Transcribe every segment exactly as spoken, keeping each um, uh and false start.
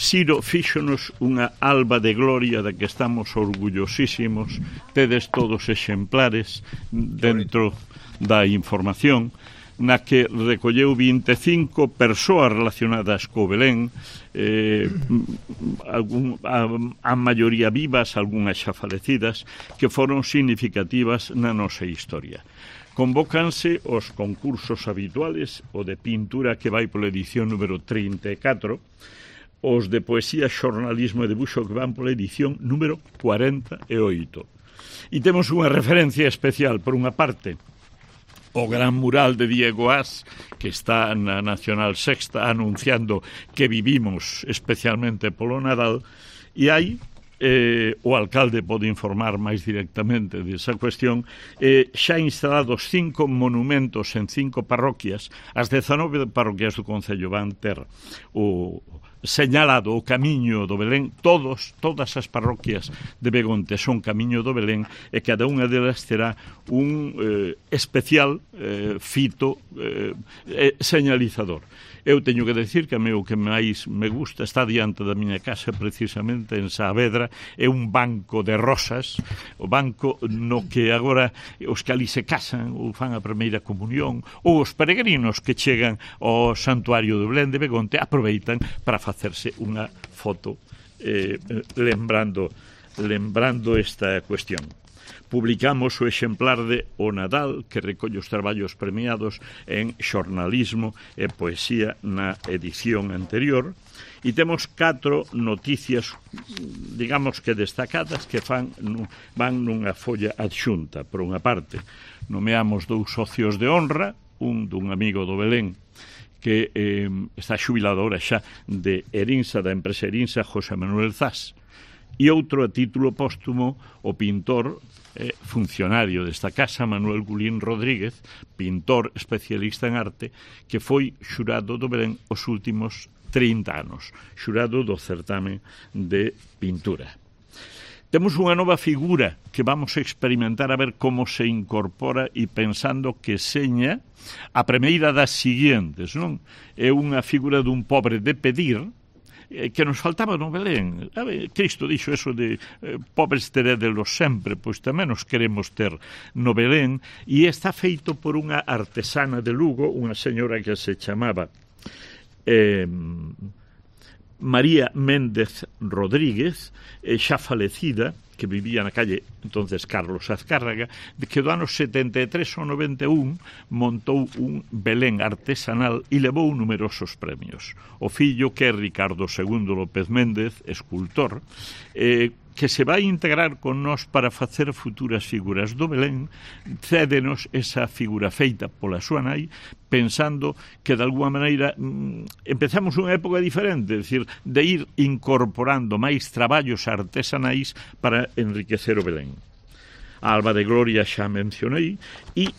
Siro fíxonos unha alba de gloria da que estamos orgullosísimos. Tedes todos exemplares dentro da información, na que recolleu vinte e cinco persoas relacionadas co Belén, eh, algún, a, a maioría vivas, algunhas xa falecidas, que foron significativas na nosa historia. Convócanse os concursos habituales, o de pintura que vai pola edición número trinta e catro, os de poesía, xornalismo e debuxo que van pola edición número cuarenta e oito. E temos unha referencia especial, por unha parte, o gran mural de Diego As, que está na Nacional Sexta anunciando que vivimos especialmente polo Nadal, e hai, eh, o alcalde pode informar máis directamente desa cuestión, eh, xa instalados cinco monumentos en cinco parroquias. As dezanove parroquias do Concello van ter o señalado o camiño do Belén. Todos, todas as parroquias de Begonte son camiño do Belén, e cada unha delas terá un eh, especial eh, fito eh, eh, señalizador. Eu teño que decir que a mí o que máis me gusta está diante da miña casa, precisamente en Saavedra, é un banco de rosas, o banco no que agora os que ali se casan ou fan a primeira comunión, ou os peregrinos que chegan ao santuario do Belén de Begonte aproveitan para facerse unha foto eh, lembrando, lembrando esta cuestión. Publicamos o exemplar de O Nadal, que recolle os traballos premiados en xornalismo e poesía na edición anterior, e temos catro noticias, digamos que destacadas, que fan, van nunha folla adxunta. Por unha parte, nomeamos dous socios de honra, un dun amigo do Belén, que eh, está xubilado ahora xa de Erinsa, da empresa Erinsa, José Manuel Zas, e outro a título póstumo, o pintor eh, funcionario desta casa, Manuel Gulín Rodríguez, pintor especialista en arte, que foi xurado do Belén os últimos trinta anos, xurado do certame de pintura. Temos unha nova figura que vamos a experimentar a ver como se incorpora, e pensando que seña a primeira das siguientes, non? É unha figura dun pobre de pedir, que nos faltaba no Belén. A ver, Cristo dixo eso de eh, pobres terédelos sempre, pois tamén nos queremos ter no Belén, e está feito por unha artesana de Lugo, unha señora que se chamaba eh, María Méndez Rodríguez, eh, xa falecida, que vivía na calle entonces Carlos Azcárraga, que do ano setenta e tres ao noventa e un montou un Belén artesanal e levou numerosos premios. O fillo, que é Ricardo segundo López Méndez, escultor, eh, que se vai integrar con nós para facer futuras figuras do Belén, cédenos esa figura feita pola súa nai, pensando que de alguma maneira mm, empezamos unha época diferente, é dicir, de ir incorporando máis traballos artesanais para enriquecer o Belén. A Alba de Gloria xa mencionei, e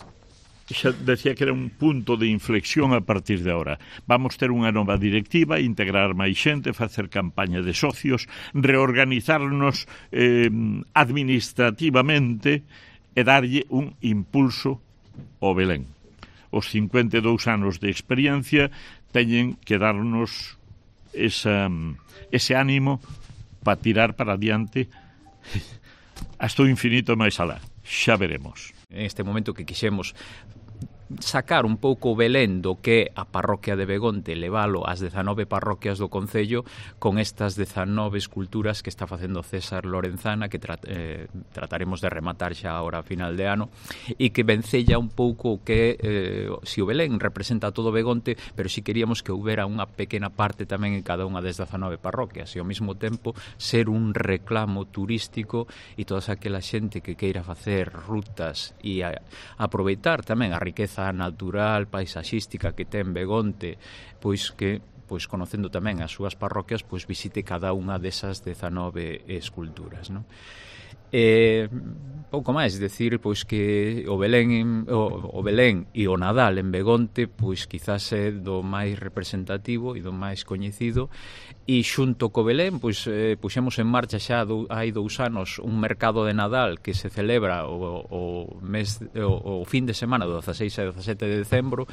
xa decía que era un punto de inflexión a partir de ahora. Vamos ter unha nova directiva, integrar máis xente, facer campaña de socios, reorganizarnos eh, administrativamente e darlle un impulso ao Belén. Os cincuenta e dous anos de experiencia teñen que darnos esa, ese ánimo para tirar para adiante hasta o infinito máis alá. Xa veremos. En este momento que quixemos sacar un pouco o Belén do que a parroquia de Begonte, levalo ás dezanove parroquias do Concello, con estas dezanove esculturas que está facendo César Lorenzana, que tra eh, trataremos de rematar xa agora a final de ano, e que vencella un pouco que eh, si o Belén representa todo Begonte, pero si queríamos que houbera unha pequena parte tamén en cada unha das dezanove parroquias, e ao mesmo tempo ser un reclamo turístico, e toda aquela xente que queira facer rutas e a, aproveitar tamén a riqueza natural, paisaxística que ten Begonte, pois que pois conocendo tamén as súas parroquias, pois visite cada unha desas dezanove esculturas, non? Eh, pouco máis, decir pois que o Belén o, o Belén e o Nadal en Begonte pois quizás é do máis representativo e do máis coñecido, E xunto co Belén, pois, eh, puxemos en marcha xa do, hai dous anos un mercado de Nadal que se celebra o, o, mes, o, o fin de semana do dezaseis e dezasete de decembro,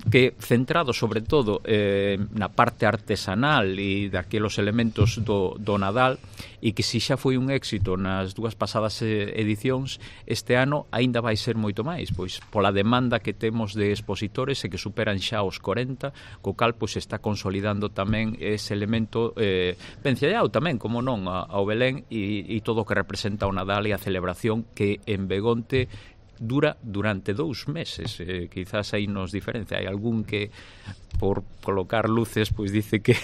que centrado sobre todo eh, na parte artesanal e daquelos elementos do, do Nadal, e que se xa foi un éxito nas dúas pasadas edicións, este ano aínda vai ser moito máis, pois pola demanda que temos de expositores e que superan xa os corenta, co cal pois está consolidando tamén ese elemento eh, vencellado tamén, como non, ao Belén e, e todo o que representa o Nadal e a celebración que en Begonte dura durante dous meses. Eh, quizás aí nos diferencia. Hai algún que por colocar luces pois dice que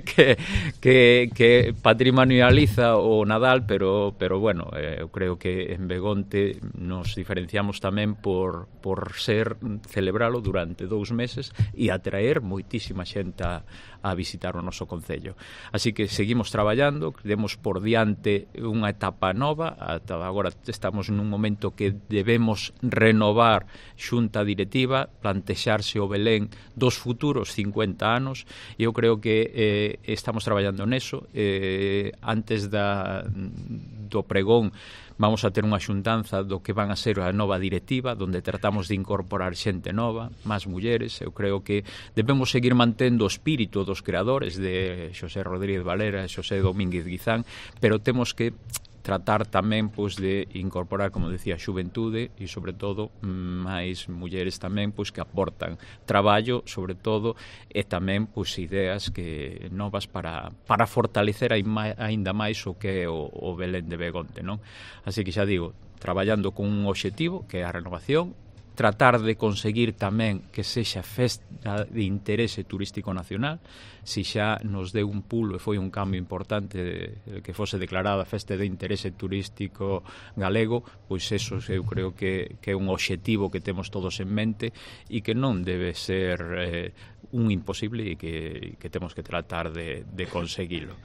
que, que, que patrimonializa o Nadal, pero pero bueno, eh, eu creo que en Begonte nos diferenciamos tamén por, por ser celebralo durante dous meses e atraer moitísima xente a, a visitar o noso concello. Así que seguimos traballando, demos por diante unha etapa nova, ata agora estamos nun momento que debemos renovar xunta directiva, plantexarse o Belén dos futuros cincuenta anos, e eu creo que eh, estamos traballando neso. Eh, antes da, do pregón vamos a ter unha xuntanza do que van a ser a nova directiva, donde tratamos de incorporar xente nova, máis mulleres. Eu creo que debemos seguir mantendo o espírito dos creadores de Xosé Rodríguez Valera e Xosé Domínguez Guizán, pero temos que tratar tamén pois de incorporar, como decía, a xuventude e sobre todo máis mulleres tamén pois que aportan traballo, sobre todo, e tamén pois ideas que novas para para fortalecer aínda máis o que é o, o Belén de Begonte, non? Así que xa digo, traballando con un obxectivo que é a renovación, tratar de conseguir tamén que sexa festa de interese turístico nacional. Si xa nos deu un pulo e foi un cambio importante de, que fose declarada festa de interese turístico galego, pois eso eu creo que, que é un obxectivo que temos todos en mente e que non debe ser eh, un imposible e que, que temos que tratar de, de conseguilo.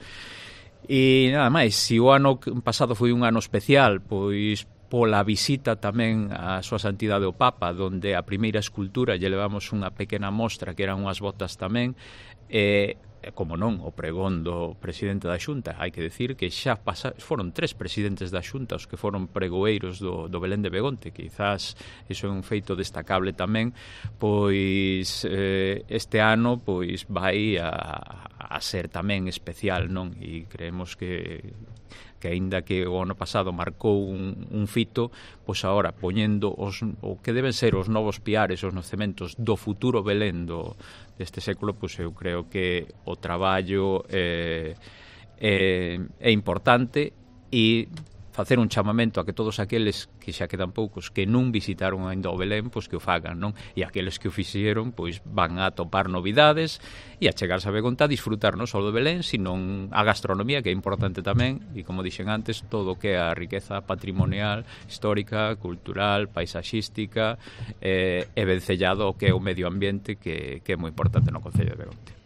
E nada máis, se o ano pasado foi un ano especial, pois pola visita tamén a súa santidade o Papa, donde a primeira escultura lle levamos unha pequena mostra que eran unhas botas tamén, e como non, o pregón do presidente da Xunta. Hai que decir que xa pasa, foron tres presidentes da Xunta os que foron pregoeiros do, do Belén de Begonte. Quizás iso é un feito destacable tamén, pois eh, este ano pois vai a, a ser tamén especial, non? E creemos que que aínda que o ano pasado marcou un, un fito, pois agora poñendo os, o que deben ser os novos piares, os nocementos do futuro Belén do, deste século, pois eu creo que o traballo é, é, é importante, e facer un chamamento a que todos aqueles que xa quedan poucos que non visitaron ainda o Belén, pois que o fagan, non? E aqueles que o fixeron, pois van a topar novidades e a chegarse a Begonte a disfrutar non só do Belén, sino a gastronomía, que é importante tamén, e como dixen antes, todo o que é a riqueza patrimonial, histórica, cultural, paisaxística, eh, e vencellado ao que é o medio ambiente, que, que é moi importante no concello de Begonte.